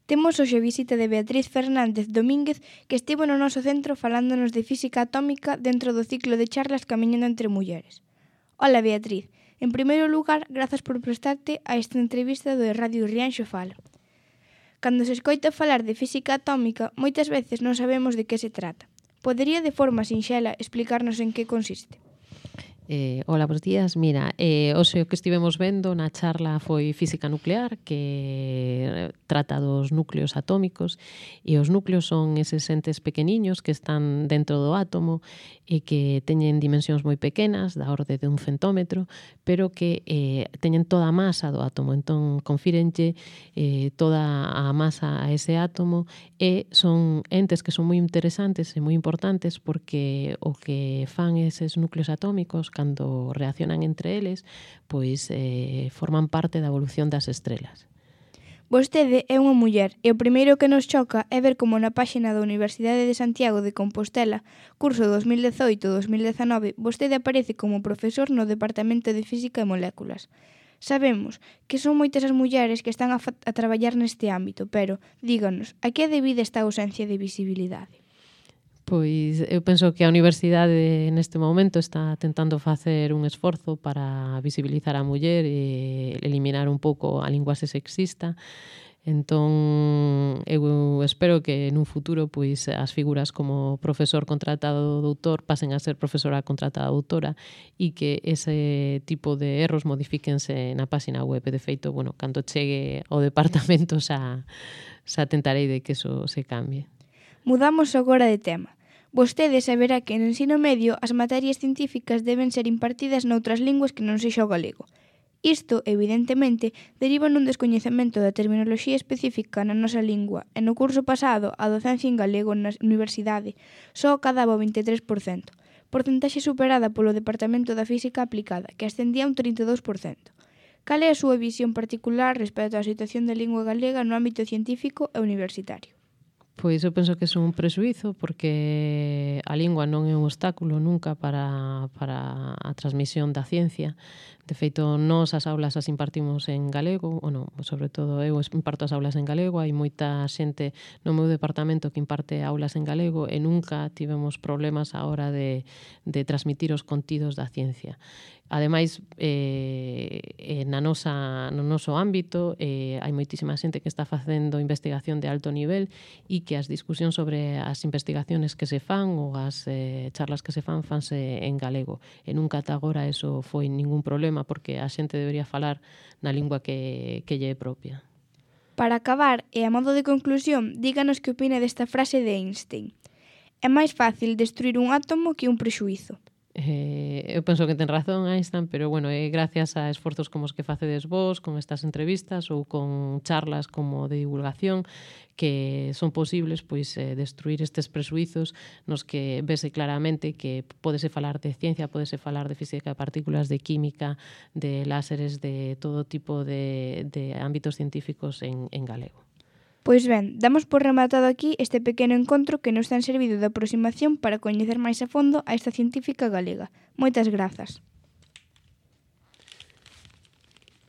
Temos hoxe a visita de Beatriz Fernández Domínguez, que estivo no noso centro falándonos de física atómica dentro do ciclo de charlas Camiñando entre mulleres. Ola, Beatriz. En primeiro lugar, grazas por prestarte a esta entrevista do Radio Rianxo Fala. Cando se escoita falar de física atómica, moitas veces non sabemos de que se trata. Podería de forma sinxela explicarnos en que consiste? Hola, bons días. Mira, hoxe o que estivemos vendo na charla foi física nuclear, que trata dos núcleos atómicos, e os núcleos son eses entes pequeniños que están dentro do átomo e que teñen dimensións moi pequenas, da orde de 1 centómetro, pero que teñen toda a masa do átomo. Entón, confírenlle toda a masa a ese átomo e son entes que son moi interesantes e moi importantes porque o que fan eses núcleos atómicos cando reaccionan entre eles, pois forman parte da evolución das estrelas. Vostede é unha muller e o primeiro que nos choca é ver como na páxina da Universidade de Santiago de Compostela, curso 2018-2019, vostede aparece como profesor no Departamento de Física e Moléculas. Sabemos que son moitas as mulleres que están a traballar neste ámbito, pero, díganos, a que é debida esta ausencia de visibilidade? Pois eu penso que a universidade neste momento está tentando facer un esforzo para visibilizar a muller e eliminar un pouco a linguaxe sexista. Entón, eu espero que nun futuro pois as figuras como profesor contratado doutor pasen a ser profesora contratada doutora e que ese tipo de erros modifíquense na páxina web. De feito, bueno, cando chegue ao departamento xa tentarei de que eso se cambie. Mudamos agora de tema. Vostede saberá que no ensino medio as materias científicas deben ser impartidas noutras linguas que non sexa o galego. Isto, evidentemente, deriva nun descoñecemento da terminoloxía específica na nosa lingua e no curso pasado a docencia en galego na universidade só acadaba o 23%, porcentaxe superada polo Departamento da Física Aplicada, que ascendía a un 32%. Cal é a súa visión particular respecto á situación da lingua galega no ámbito científico e universitario? Pois eu penso que é un presuízo porque a lingua non é un obstáculo nunca para a transmisión da ciencia. De feito, nós as aulas as impartimos en galego, sobre todo eu imparto as aulas en galego, hai moita xente no meu departamento que imparte aulas en galego e nunca tivemos problemas á hora de transmitir os contidos da ciencia. Ademais, no noso ámbito hai moitísima xente que está facendo investigación de alto nivel e que as discusións sobre as investigaciones que se fan ou as charlas que se fanse en galego. E nunca ata agora eso foi ningún problema porque a xente debería falar na lingua que lle é propia. Para acabar, e a modo de conclusión, díganos que opina desta frase de Einstein. É máis fácil destruir un átomo que un prexuízo. Eu penso que ten razón Einstein, pero bueno, é gracias a esforzos como os que facedes vos, con estas entrevistas ou con charlas como de divulgación que son posibles pois destruir estes presuizos nos que vese claramente que pódese falar de ciencia, pódese falar de física de partículas, de química, de láseres, de todo tipo de ámbitos científicos en galego. Pois ben, damos por rematado aquí este pequeno encontro que nos ten servido de aproximación para coñecer máis a fondo a esta científica galega. Moitas grazas.